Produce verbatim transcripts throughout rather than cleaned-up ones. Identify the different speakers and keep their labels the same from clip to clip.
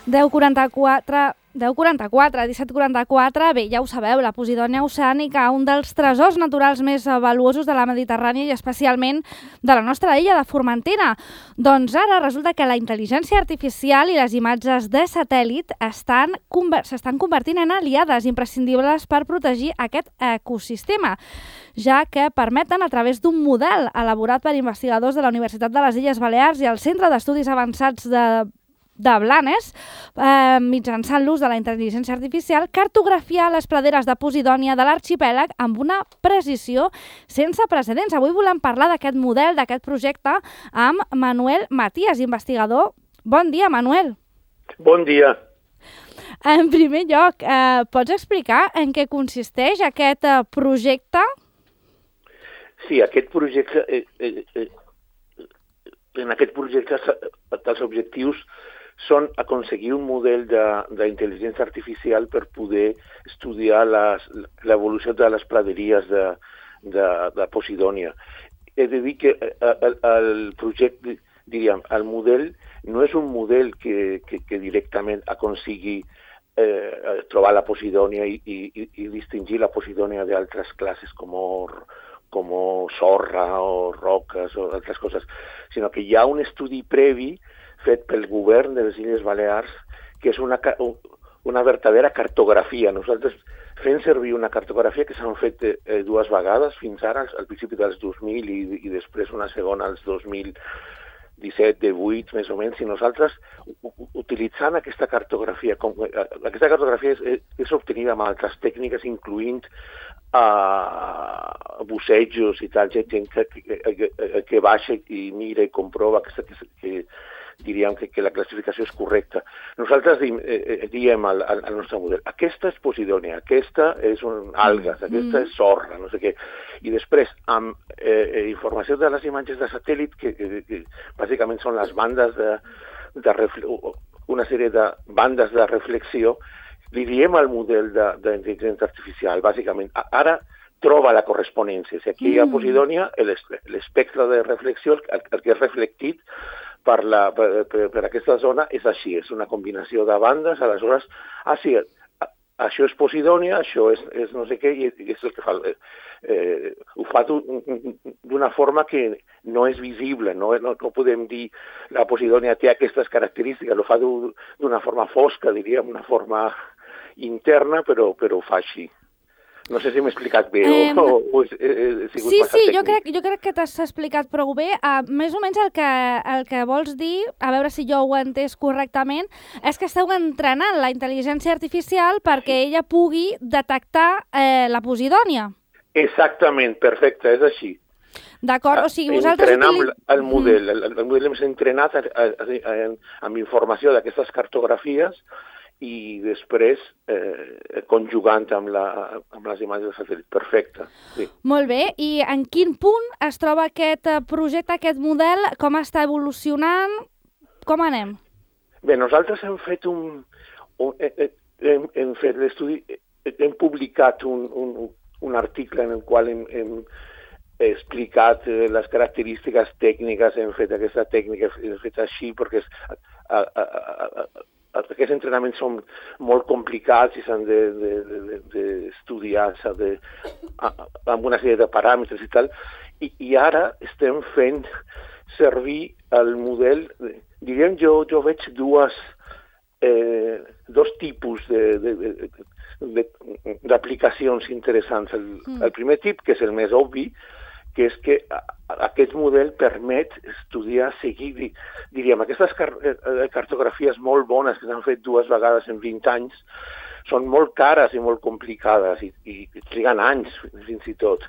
Speaker 1: deu quaranta-quatre, deu quaranta-quatre, disset quaranta-quatre, bé, ja ho sabeu, la Posidònia oceànica, un dels tresors naturals més valuosos de la Mediterrània i especialment de la nostra illa de Formentera. Doncs ara resulta que la intel·ligència artificial i les imatges de satèl·lit estan s'estan convertint en aliades imprescindibles per protegir aquest ecosistema, ja que permeten, a través d'un model elaborat per investigadors de la Universitat de les Illes Balears i el Centre d'Estudis Avançats de de Blanes, eh, mitjançant l'ús de la intel·ligència artificial, cartografiar les praderes de Posidònia de l'arxipèlag amb una precisió sense precedents. Avui volem parlar d'aquest model, d'aquest projecte, amb Manuel Matías, investigador. Bon dia, Manuel.
Speaker 2: Bon dia.
Speaker 1: En primer lloc, eh, pots explicar en què consisteix aquest eh, projecte?
Speaker 2: Sí, aquest projecte... Eh, eh, eh, en aquest projecte els objectius són aconseguir un model d'intel·ligència artificial per poder estudiar l'evolució de les praderies de, de, de Posidònia. He de dir que el, el projecte, diríem, el model no és un model que, que, que directament aconsigui eh, trobar la Posidònia i, i, i distingir la Posidònia d'altres classes com com sorra o roques o altres coses, sinó que hi ha un estudi previ fet pel govern de les Illes Balears que és una, una verdadera cartografia. Nosaltres fem servir una cartografia que s'han fet eh, dues vegades fins ara, al principi dels dos mil i, i després una segona als dos mil disset, divuit, més o menys, i nosaltres, utilitzant aquesta cartografia, com, aquesta cartografia és, és obtenida amb altres tècniques, incloent uh, bussejos i tal, gent que, que, que baixa i mira i comprova que, que, que diríem que, que la classificació és correcta. Nosaltres diem, eh, diem al, al nostre model, aquesta és Posidònia, aquesta és un algues, aquesta mm. és sorra, no sé què. I després, amb eh, informació de les imatges de satèl·lit, que, que, que bàsicament són les bandes de, de una sèrie de bandes de reflexió, li diem al model d'intel·ligència artificial, bàsicament, ara troba la corresponència. Si aquí hi ha Posidònia, l'espectre de reflexió, el, el que és reflectit per, la, per, per, per aquesta zona és així, és una combinació de bandes, aleshores, ah, sí, això és Posidònia, això és, és no sé què, i és el que fa. Eh, ho fa d'una forma que no és visible, no, no, no podem dir la Posidònia té aquestes característiques, ho fa d'una forma fosca, diríem, una forma interna, però, però ho fa així. No sé si m'he explicat bé eh, o, o he, he sigut
Speaker 1: sí,
Speaker 2: massa
Speaker 1: sí,
Speaker 2: tècnic.
Speaker 1: jo crec, jo crec que t'has explicat prou bé. Uh, més o menys el que, el que vols dir, a veure si jo ho he entès correctament, és que esteu entrenant la intel·ligència artificial perquè ella pugui detectar eh, la Posidònia.
Speaker 2: Exactament, perfecte, és així.
Speaker 1: D'acord, o sigui, vosaltres...
Speaker 2: Entrenem utili... el model, el, el model hem entrenat a, a, a, amb informació d'aquestes cartografies i després eh, conjugant amb, la, amb les imatges de satèl·lit. Perfecte. Sí.
Speaker 1: Molt bé. I en quin punt es troba aquest projecte, aquest model? Com està evolucionant? Com anem?
Speaker 2: Bé, nosaltres hem fet un... un hem, hem fet l'estudi... Hem publicat un, un, un article en el qual hem, hem explicat les característiques tècniques, hem fet aquesta tècnica, hem fet així perquè és... A, a, a, a, aquests entrenaments són molt complicats i s'han d'estudiar de, de, de amb una sèrie de paràmetres i tal, i, i ara estem fent servir el model, diríem jo, jo veig dues, eh, dos tipus d'aplicacions interessants. El, mm. el primer tip, que és el més obvi, que és que aquest model permet estudiar, seguir, diríem, aquestes cartografies molt bones que s'han fet dues vegades en vint anys, són molt cares i molt complicades i, i triguen anys, fins i tot,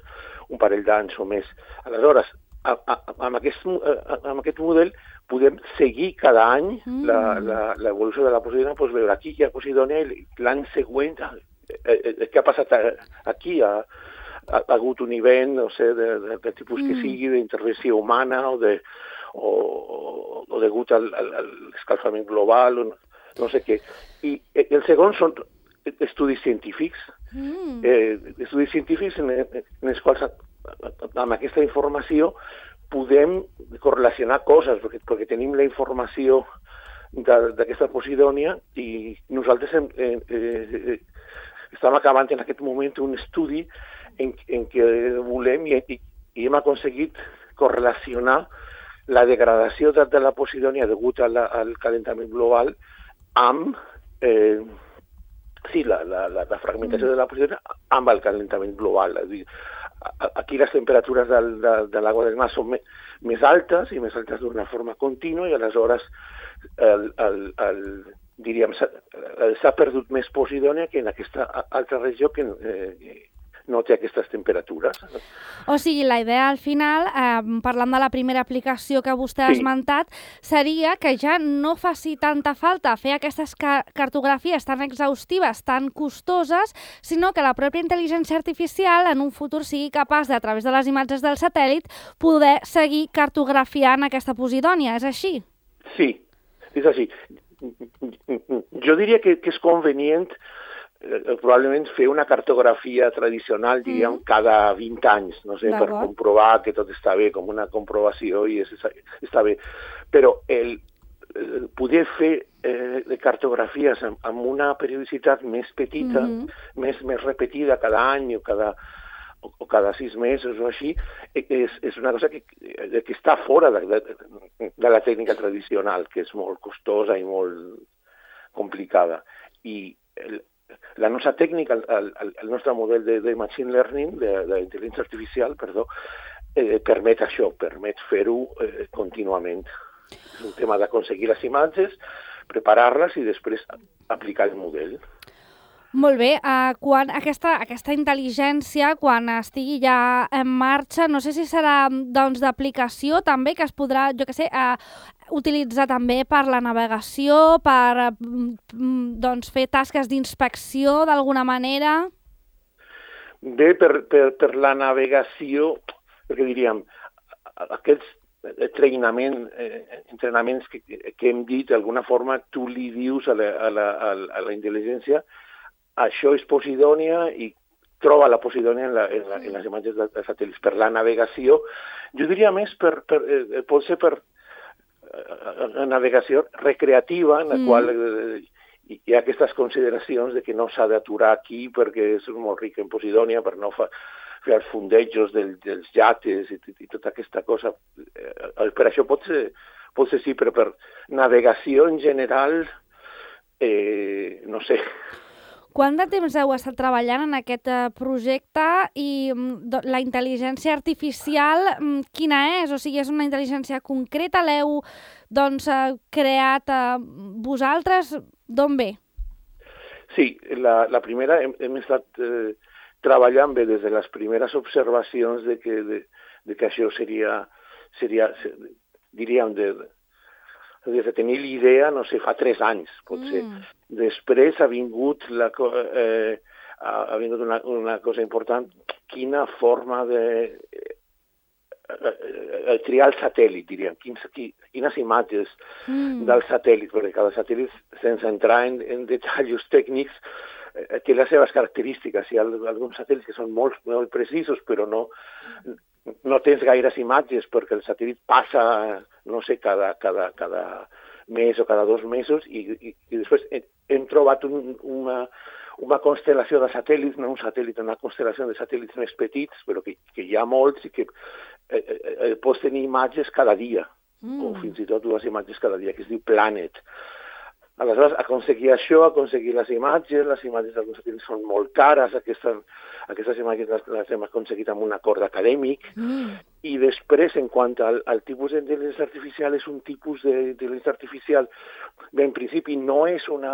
Speaker 2: un parell d'anys o més. Aleshores, amb aquest, amb aquest model podem seguir cada any mm. l'evolució de la Posidònia, doncs veure aquí hi ha Posidònia i l'any següent, què ha passat aquí, a ha hagut un event, no sé, de, de, de tipus mm. que sigui, d'intervenció humana o, de, o, o degut al, al, a l'escalfament global, o no, no sé què. I el segon són estudis científics, mm. eh, estudis científics en, en els quals amb aquesta informació podem correlacionar coses, perquè, perquè tenim la informació d'aquesta Posidònia, i nosaltres hem, eh, eh, estem acabant en aquest moment un estudi en, en què volem i, i hem aconseguit correlacionar la degradació de, de la Posidònia degut a la, al calentament global amb eh, sí, la, la, la, la fragmentació mm. de la Posidònia amb el calentament global. És dir, aquí les temperatures del, de, de l'aigua del mar són me, més altes i més altes d'una forma contínua i aleshores el, el, el, diríem, s'ha perdut més Posidònia que en aquesta altra regió que eh, no té aquestes temperatures.
Speaker 1: O sigui, la idea al final, eh, parlant de la primera aplicació que vostè ha sí. esmentat, seria que ja no faci tanta falta fer aquestes ca cartografies tan exhaustives, tan costoses, sinó que la pròpia intel·ligència artificial en un futur sigui capaç de, a través de les imatges del satèl·lit, poder seguir cartografiant aquesta Posidònia. És així?
Speaker 2: Sí, és així. Jo diria que, que és convenient Eh, probablement fer una cartografia tradicional, diríem, mm. cada vint anys, no sé, per comprovar que tot està bé, com una comprovació i és, està bé. Però el, el poder fer eh, de cartografies amb, amb una periodicitat més petita, mm -hmm. més, més repetida cada any o cada, o, o cada sis mesos o així, és, és una cosa que, que està fora de, de, de la tècnica tradicional, que és molt costosa i molt complicada. I el, la nostra tècnica, el, el, el nostre model de, de machine learning, d'intel·ligència artificial, perdó, eh, permet això, permet fer-ho eh, contínuament. És un tema d'aconseguir les imatges, preparar-les i després aplicar el model.
Speaker 1: Molt bé, uh, quan aquesta, aquesta intel·ligència, quan estigui ja en marxa, no sé si serà doncs, d'aplicació també, que es podrà, jo què sé, uh, utilitzar també per la navegació, per uh, doncs, fer tasques d'inspecció d'alguna manera?
Speaker 2: Bé, per, per, per la navegació, perquè diríem, aquests entrenament, eh, entrenaments que, que hem dit, d'alguna forma tu li dius a la, a la, a la intel·ligència això és Posidònia i troba la Posidònia en, la, en, la, en les imatges de, de satèl·lits. Per la navegació, jo diria més per, per, eh, pot ser per eh, navegació recreativa, en la mm. qual eh, hi ha aquestes consideracions de que no s'ha d'aturar aquí perquè és molt ric en Posidònia, per no fa, fer els fundejos del, dels llates i, i tota aquesta cosa. Eh, per això pot ser, pot ser sí, però per navegació en general, eh, no sé.
Speaker 1: Quant de temps heu estat treballant en aquest projecte i la intel·ligència artificial quina és? O sigui, és una intel·ligència concreta? L'heu doncs, creat vosaltres? D'on ve?
Speaker 2: Sí, la, la primera hem, hem estat eh, treballant bé des de les primeres observacions de que, de, de que això seria, seria diríem, de, des de tenir l'idea, no sé, fa tres anys, potser. Mm. Després ha vingut, la, eh, ha vingut una, una cosa important, quina forma de eh, triar el satèl·lit, diríem, quins, quines imatges mm. del satèl·lit, perquè cada satèl·lit, sense entrar en, en detalls tècnics, eh, té les seves característiques. Hi ha alguns satèl·lits que són molt, molt precisos, però no, no tens gaires imatges, perquè el satèl·lit passa, no sé, cada, cada, cada mes o cada dos mesos, i, i, i després hem trobat un, una, una constel·lació de satèl·lits, no un satèl·lit, una constel·lació de satèl·lits més petits, però que, que hi ha molts i que eh, eh, pots tenir imatges cada dia, mm. o fins i tot dues imatges cada dia, que es diu Planet. Aleshores, aconseguir això, aconseguir les imatges, les imatges d'alguns satèl·lits són molt cares, aquestes, aquestes imatges les, les hem aconseguit amb un acord acadèmic, mm. i després, en quant al, al tipus d'intel·ligència artificial, és un tipus d'intel·ligència artificial, bé, en principi no és, una,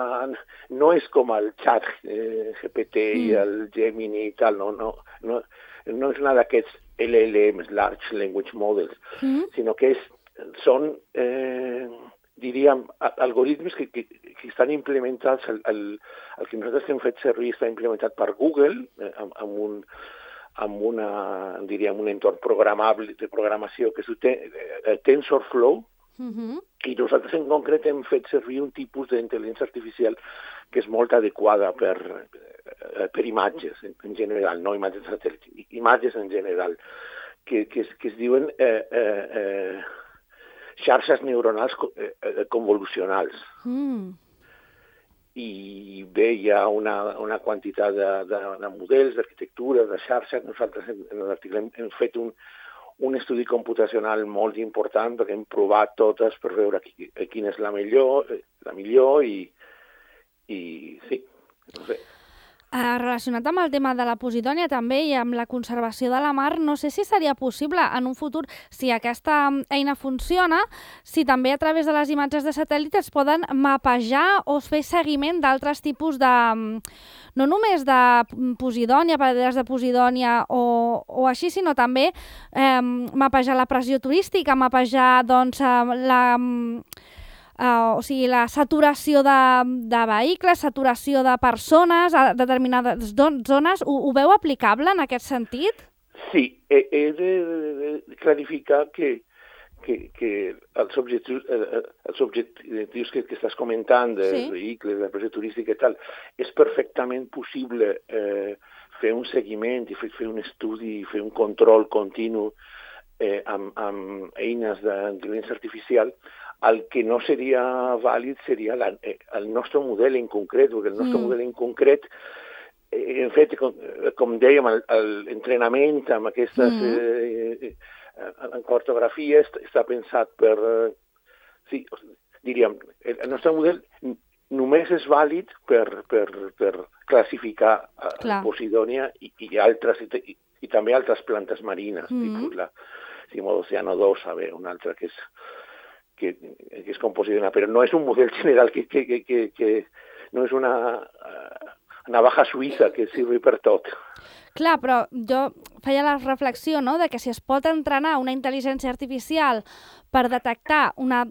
Speaker 2: no és com el chat eh, G P T mm. i el Gemini i tal, no, no, no, no és una d'aquests L L Ms, Large Language Models, mm. sinó que és, són... Eh, diríem, algoritmes que, que, que estan implementats, el, el, el que nosaltres hem fet servir està implementat per Google, eh, amb, amb, un, amb una, diríem, un entorn programable de programació que es diu eh, TensorFlow, uh-huh. i nosaltres en concret hem fet servir un tipus d'intel·ligència artificial que és molt adequada per, eh, per imatges en, en general, no imatges de satèl·lit, imatges en general, que, que, es, que es diuen... Eh, eh, eh, xarxes neuronals convolucionals.
Speaker 1: Mm.
Speaker 2: I bé, hi ha una, una quantitat de, de, de models, d'arquitectures, de xarxes. Nosaltres en, en l'article hem, hem fet un, un estudi computacional molt important perquè hem provat totes per veure qui, quina és la millor, la millor i, i sí, no sé.
Speaker 1: Uh, relacionat amb el tema de la posidònia també i amb la conservació de la mar, no sé si seria possible en un futur, si aquesta eina funciona, si també a través de les imatges de satèl·lit es poden mapejar o fer seguiment d'altres tipus de... no només de posidònia, paraderes de posidònia o, o així, sinó també eh, mapejar la pressió turística, mapejar doncs, la... Uh, o sigui, la saturació de, de vehicles, saturació de persones a determinades zones, ho, ho veu aplicable en aquest sentit?
Speaker 2: Sí, he, he de, de, de clarificar que, que, que els objectius, eh, els objectius que, que estàs comentant, de sí. vehicles, de pressió turística i tal, és perfectament possible eh, fer un seguiment i fer, fer un estudi, fer un control continu eh, amb, amb eines d'intel·ligència artificial. El que no seria vàlid seria la, el nostre model en concret, perquè el nostre mm. model en concret, eh, en fet, com, com dèiem, l'entrenament amb aquestes mm. eh, en cartografia està pensat per, eh, sí, diríem, el, el nostre model només és vàlid per, per, per classificar la Posidònia i, i, altres, i, i també altres plantes marines, mm. tipus la Cimodocea dos, a veure, una altra que és Que, que és com Posidònia, però no és un model general, que, que, que, que, que no és una uh, navaja suïssa que sirvi per tot.
Speaker 1: Clar, però jo feia la reflexió, no?, de que si es pot entrenar una intel·ligència artificial per detectar una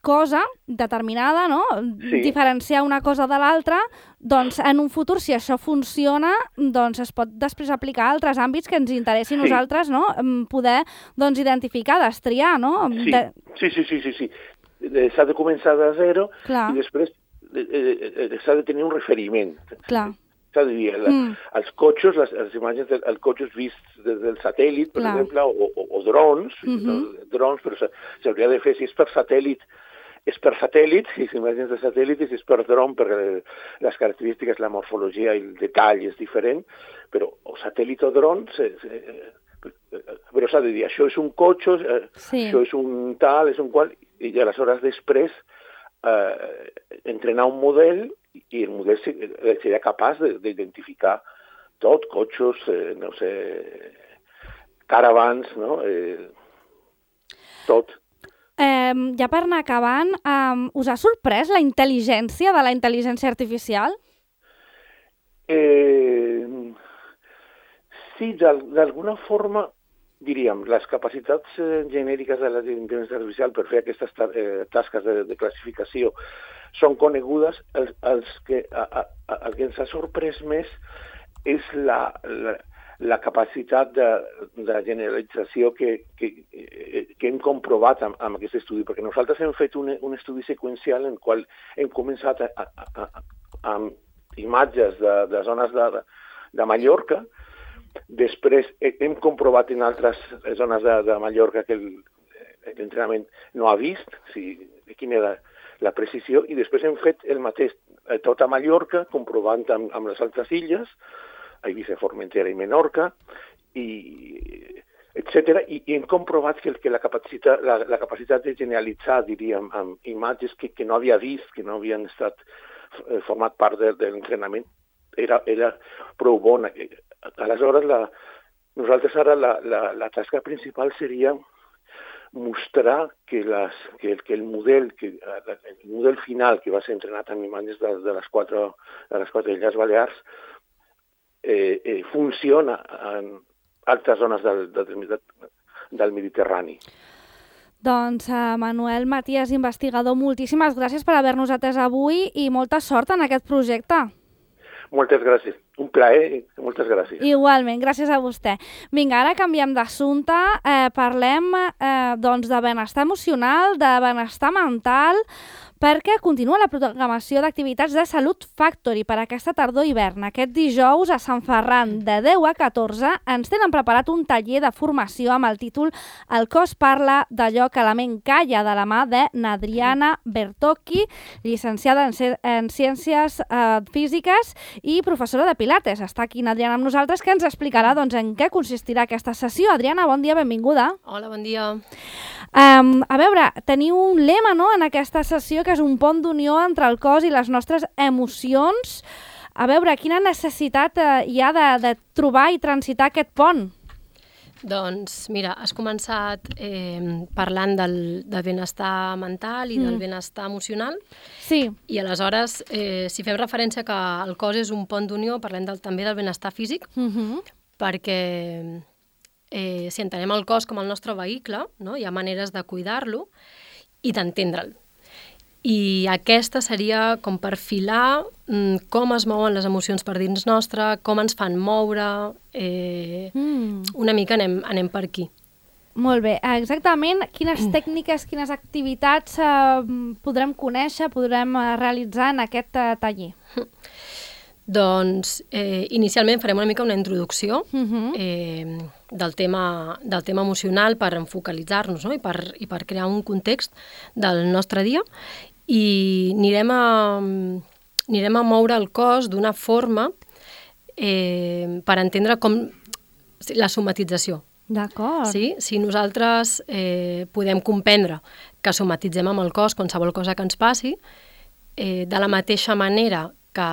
Speaker 1: cosa determinada, no?, sí. diferenciar una cosa de l'altra, doncs en un futur, si això funciona, doncs es pot després aplicar a altres àmbits que ens interessi a sí. nosaltres, no?, poder doncs, identificar, destriar, no?
Speaker 2: Sí,
Speaker 1: de...
Speaker 2: sí, sí, sí, sí, sí. S'ha de començar de zero
Speaker 1: Clar.
Speaker 2: I després eh, s'ha de tenir un referiment.
Speaker 1: Clar.
Speaker 2: S'ha de dir, la, mm. els cotxes, les, les imatges dels cotxes vists des del satèl·lit, per Clar. exemple, o, o, o drons, mm-hmm. no? drons, però s'hauria de fer, si és per satèl·lit, és per satèl·lit, si s'imatges de satèl·lit, i si és per dron, perquè les característiques, la morfologia i el detall és diferent, però o satèl·lit o dron, se, se, però s'ha de dir, això és un cotxe, sí. això és un tal, és un qual, i aleshores després eh, entrenar un model i el model seria capaç d'identificar tot, cotxes, eh, no sé, caravans, no? Eh, tot.
Speaker 1: Eh, ja per anar acabant, eh, us ha sorprès la intel·ligència de la intel·ligència artificial?
Speaker 2: Eh, sí, d'alguna forma, diríem, les capacitats eh, genèriques de la intel·ligència artificial per fer aquestes eh, tasques de, de classificació són conegudes. Els, els que, a, a, el que ens ha sorprès més és la... la la capacitat de, de generalització que, que, que hem comprovat amb, amb aquest estudi, perquè nosaltres hem fet un, un estudi seqüencial en el qual hem començat a, a, a, amb imatges de, de zones de, de Mallorca, després hem comprovat en altres zones de, de Mallorca que l'entrenament no ha vist, si, quina era la precisió, i després hem fet el mateix tot a Mallorca, comprovant amb, amb les altres illes, a Eivissa, Formentera i Menorca, i etcètera, i, i hem comprovat que, que la, capacitat, la, la capacitat de generalitzar, diríem, amb imatges que, que no havia vist, que no havien estat eh, format part de, de l'entrenament, era, era prou bona. Aleshores, la, nosaltres ara la, la, la tasca principal seria mostrar que, les, que, el, que el model que el model final que va ser entrenat amb imatges de, de les quatre de les quatre Illes Balears eh, eh, funciona en altres zones del, del, del Mediterrani.
Speaker 1: Doncs, uh, Manuel Matías, investigador, moltíssimes gràcies per haver-nos atès avui i molta sort en aquest projecte.
Speaker 2: Moltes gràcies. Un plaer. Moltes gràcies.
Speaker 1: Igualment, gràcies a vostè. Vinga, ara canviem d'assumpte. Eh, parlem eh, doncs de benestar emocional, de benestar mental, perquè continua la programació d'activitats de Salut Factory per aquesta tardor-hivern. Aquest dijous a Sant Ferran, de deu a catorze, ens tenen preparat un taller de formació amb el títol El cos parla d'allò que la ment calla, de la mà de Nadriana Bertocchi, llicenciada en, en Ciències eh, Físiques i professora de Pilates. Està aquí Nadriana amb nosaltres, que ens explicarà doncs, en què consistirà aquesta sessió. Adriana, bon dia, benvinguda.
Speaker 3: Hola, bon dia.
Speaker 1: Um, a veure, teniu un lema, no?, en aquesta sessió, que és un pont d'unió entre el cos i les nostres emocions. A veure, quina necessitat eh, hi ha de, de trobar i transitar aquest pont?
Speaker 3: Doncs mira, has començat eh, parlant del, del benestar mental i mm. del benestar emocional.
Speaker 1: Sí.
Speaker 3: I aleshores, eh, si fem referència que el cos és un pont d'unió, parlem del, també del benestar físic,
Speaker 1: Mm-hmm.
Speaker 3: perquè eh, si entenem el cos com el nostre vehicle, no? Hi ha maneres de cuidar-lo i d'entendre'l. I aquesta seria com perfilar mm, com es mouen les emocions per dins nostre, com ens fan moure, eh, mm. una mica anem, anem per aquí.
Speaker 1: Molt bé. Exactament quines mm. tècniques, quines activitats eh, podrem conèixer, podrem eh, realitzar en aquest eh, taller?
Speaker 3: Doncs eh, inicialment farem una mica una introducció
Speaker 1: Mm-hmm.
Speaker 3: eh, del, tema, del tema emocional per enfocalitzar-nos, no? I, per, i per crear un context del nostre dia, i anirem a, anirem a moure el cos d'una forma eh, per entendre com la somatització.
Speaker 1: D'acord.
Speaker 3: Sí? Si nosaltres eh, podem comprendre que somatitzem amb el cos qualsevol cosa que ens passi, eh, de la mateixa manera que,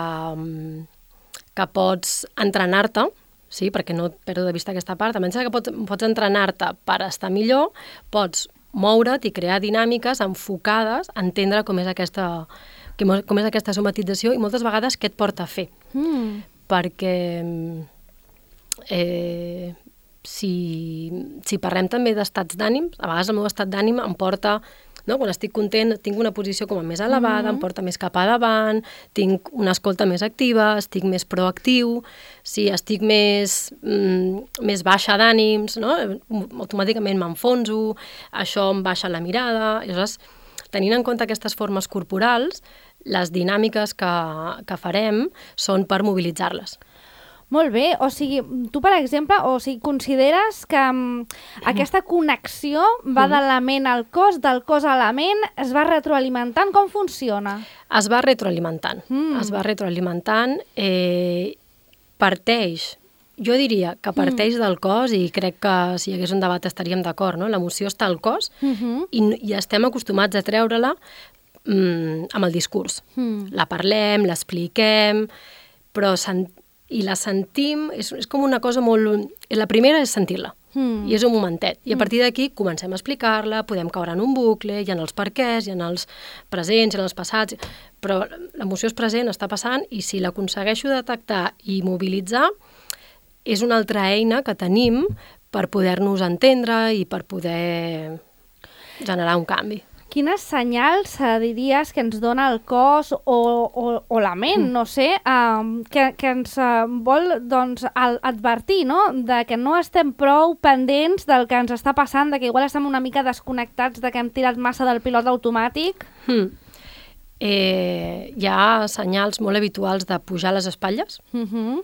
Speaker 3: que pots entrenar-te, sí? Perquè no et perdo de vista aquesta part, a menys que pots, pots entrenar-te per estar millor, pots moure't i crear dinàmiques enfocades a entendre com és aquesta, com és aquesta somatització i moltes vegades què et porta a fer.
Speaker 1: Mm.
Speaker 3: Perquè eh, si, si parlem també d'estats d'ànims, a vegades el meu estat d'ànim em porta, no? Quan estic content tinc una posició com a més elevada, mm-hmm. em porta més cap a davant, tinc una escolta més activa, estic més proactiu, si estic més, mm, més baixa d'ànims, no? Automàticament m'enfonso, això em baixa la mirada. Llavors, tenint en compte aquestes formes corporals, les dinàmiques que, que farem són per mobilitzar-les.
Speaker 1: Molt bé, o sigui, tu, per exemple, o sigui, consideres que um, aquesta connexió va de la ment al cos, del cos a la ment, es va retroalimentant? Com funciona?
Speaker 3: Es va retroalimentant, mm. es va retroalimentant, eh, parteix, jo diria que parteix mm. del cos, i crec que si hi hagués un debat estaríem d'acord, no? L'emoció està al cos, mm-hmm. i, i estem acostumats a treure-la mm, amb el discurs. Mm. La parlem, l'expliquem, però sent, i la sentim, és, és com una cosa molt... La primera és sentir-la, mm. i és un momentet. I a partir d'aquí comencem a explicar-la, podem caure en un bucle, hi ha els perquès, hi ha els presents, hi ha els passats, però l'emoció és present, està passant, i si l'aconsegueixo detectar i mobilitzar, és una altra eina que tenim per poder-nos entendre i per poder generar un canvi.
Speaker 1: Quines senyals eh, diries que ens dona el cos o, o, o la ment, no sé, eh, que, que ens eh, vol doncs, al, advertir, no?, de que no estem prou pendents del que ens està passant, de que igual estem una mica desconnectats, de que hem tirat massa del pilot automàtic?
Speaker 3: Hmm. Eh, hi ha senyals molt habituals de pujar les espatlles,
Speaker 1: Mm-hmm.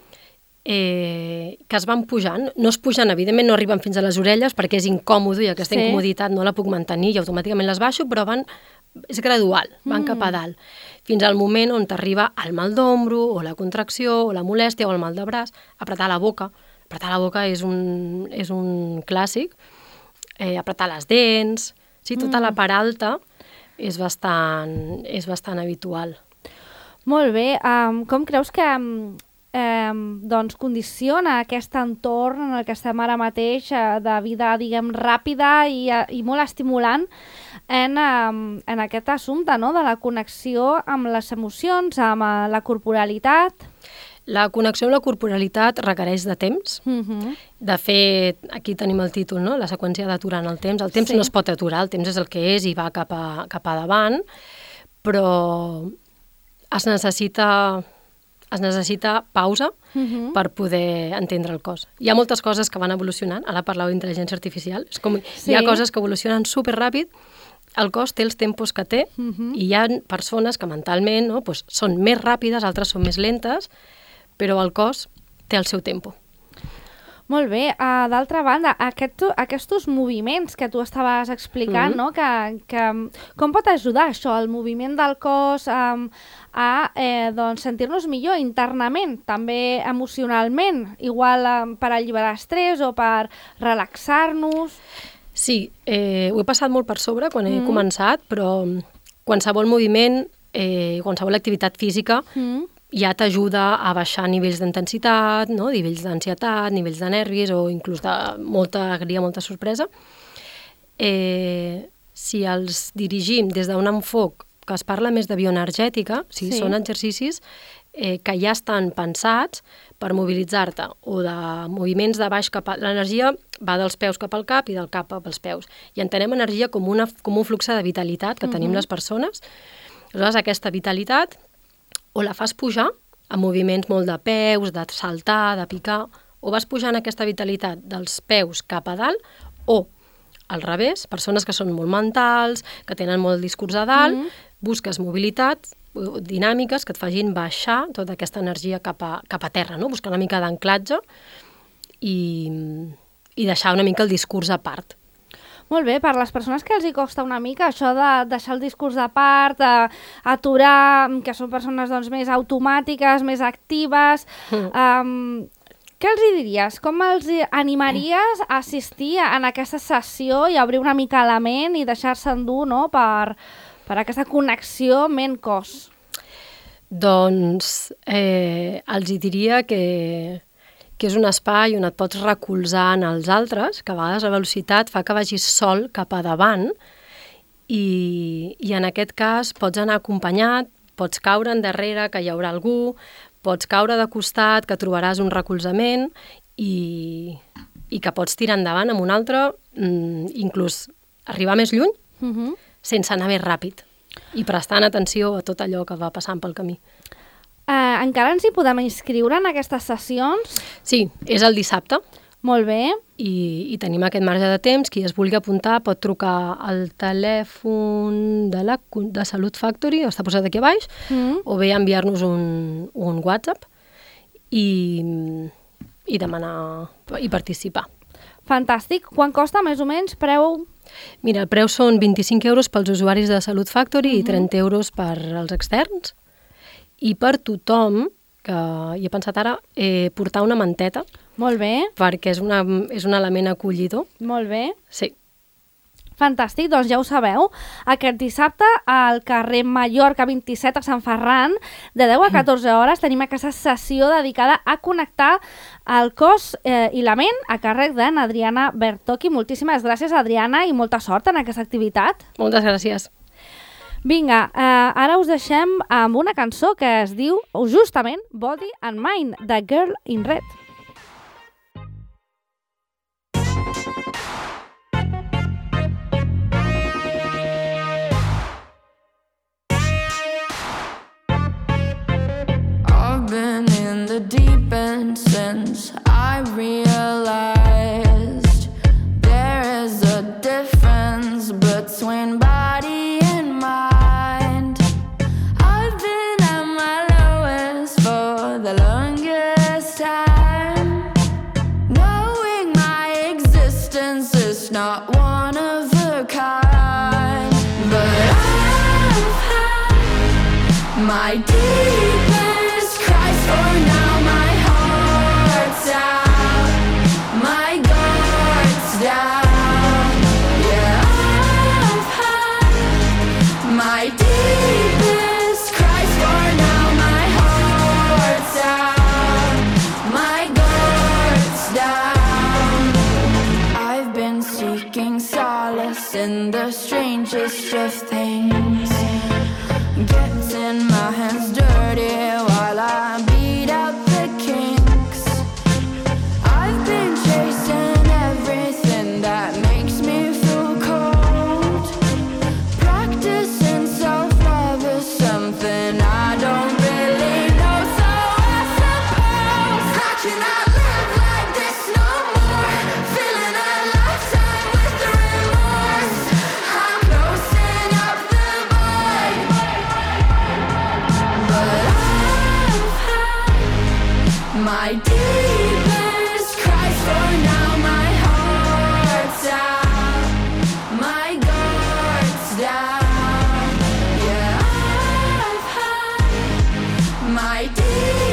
Speaker 3: eh, que es van pujant. No es pugen, evidentment no arriben fins a les orelles perquè és incòmode i aquesta
Speaker 1: Sí.
Speaker 3: incomoditat no la puc mantenir i automàticament les baixo, però van, és gradual, van
Speaker 1: Mm.
Speaker 3: cap a dalt, fins al moment on t'arriba el mal d'ombro o la contracció o la molèstia o el mal de braç, apretar la boca. Apretar la boca és un, és un clàssic, eh, apretar les dents, sí, tota
Speaker 1: Mm.
Speaker 3: la part alta és bastant, és bastant habitual.
Speaker 1: Molt bé. Um, com creus que um, um, doncs condiciona aquest entorn en el que estem ara mateix uh, de vida, diguem, ràpida i, uh, i molt estimulant en, um, en aquest assumpte, no?, de la connexió amb les emocions, amb uh, la corporalitat?
Speaker 3: La connexió amb la corporalitat requereix de temps.
Speaker 1: Mm-hmm.
Speaker 3: De fet, aquí tenim el títol, no?, la seqüència d'aturar en el temps. El temps
Speaker 1: Sí.
Speaker 3: no es pot aturar, el temps és el que és i va cap a, cap a davant, però es necessita, es necessita pausa
Speaker 1: Mm-hmm.
Speaker 3: per poder entendre el cos. Hi ha moltes coses que van evolucionant, ara parlàveu d'intel·ligència artificial, és com,
Speaker 1: Sí.
Speaker 3: hi ha coses que evolucionen superràpid el cos té els tempos que té uh-huh. i hi ha persones que mentalment no, doncs són més ràpides, altres són més lentes, però el cos té el seu tempo.
Speaker 1: Molt bé. Uh, d'altra banda, aquest, aquests moviments que tu estaves explicant, mm-hmm. no? que, que, com pot ajudar això, el moviment del cos, um, a eh, doncs, sentir-nos millor internament, també emocionalment, igual um, per alliberar estrès o per relaxar-nos?
Speaker 3: Sí, eh, ho he passat molt per sobre quan he mm-hmm. començat, però qualsevol moviment, eh, qualsevol activitat física, mm-hmm. ja t'ajuda a baixar nivells d'intensitat, no? Nivells d'ansietat, nivells de nervis o inclús de molta alegria, molta sorpresa. Eh, si els dirigim des d'un enfoc que es parla més de bioenergètica, o sigui, sí. són exercicis eh, que ja estan pensats per mobilitzar-te o de moviments de baix cap a... L'energia va dels peus cap al cap i del cap als peus. I entenem energia com, una, com un flux de vitalitat que uh-huh. tenim les persones. Aleshores, aquesta vitalitat o la fas pujar amb moviments molt de peus, de saltar, de picar, o vas pujant aquesta vitalitat dels peus cap a dalt, o al revés, persones que són molt mentals, que tenen molt discurs a dalt, mm-hmm. busques mobilitat, dinàmiques que et facin baixar tota aquesta energia cap a, cap a terra, no? Buscar una mica d'anclatge i, i deixar una mica el discurs a part.
Speaker 1: Molt bé, per les persones que els hi costa una mica això de deixar el discurs de part, aturar, que són persones doncs, més automàtiques, més actives, mm. um, què els hi diries? Com els animaries a assistir en aquesta sessió i obrir una mica la ment i deixar-se endur, no? per, per aquesta connexió ment-cos?
Speaker 3: Doncs eh, els hi diria que... que és un espai on et pots recolzar en els altres, que a vegades la velocitat fa que vagis sol cap a davant i, i en aquest cas pots anar acompanyat, pots caure endarrere, que hi haurà algú, pots caure de costat, que trobaràs un recolzament i, i que pots tirar endavant amb un altre, inclús arribar més lluny, uh-huh. sense anar més ràpid i prestant atenció a tot allò que va passant pel camí.
Speaker 1: Uh, encara ens hi podem inscriure en aquestes sessions?
Speaker 3: Sí, és el dissabte.
Speaker 1: Molt bé.
Speaker 3: I, i tenim aquest marge de temps. Qui es vulgui apuntar pot trucar al telèfon de, la, de Salut Factory, està posat aquí a baix, mm. o bé enviar-nos un, un WhatsApp i, i demanar i participar.
Speaker 1: Fantàstic. Quan costa més o menys? Preu?
Speaker 3: Mira, el preu són vint-i-cinc euros pels usuaris de Salut Factory mm-hmm. i trenta euros per als externs. I per tothom, que hi he pensat ara, eh, portar una manteta.
Speaker 1: Molt bé.
Speaker 3: Perquè és, una, és un element acollidor.
Speaker 1: Molt bé.
Speaker 3: Sí.
Speaker 1: Fantàstic, doncs ja ho sabeu. Aquest dissabte al carrer Mallorca vint-i-set a Sant Ferran, de deu a catorze hores, tenim aquesta sessió dedicada a connectar el cos eh, i la ment a càrrec d'Adriana Bertocchi. Moltíssimes gràcies, Adriana, i molta sort en aquesta activitat.
Speaker 3: Moltes gràcies.
Speaker 1: Vinga, eh, ara us deixem amb una cançó que es diu justament Body and Mind, de Girl in Red.
Speaker 4: I've been in the deep end since I realized there is a difference between body and mind. I've been at my lowest for the longest time, knowing my existence is not one of a kind. But I've had my deepest cries, for now my heart's out, my guard's down. My deepest cries, for now my heart's out, my guard's down. I've been seeking solace in the strangest of things, getting my hands dirty while I beat out the kinks. I've been chasing everything that makes me feel cold. Practicing self-love is something I don't really know. So I suppose, how can I live like this no more? Feeling a lifetime with the remorse. I'm closing free.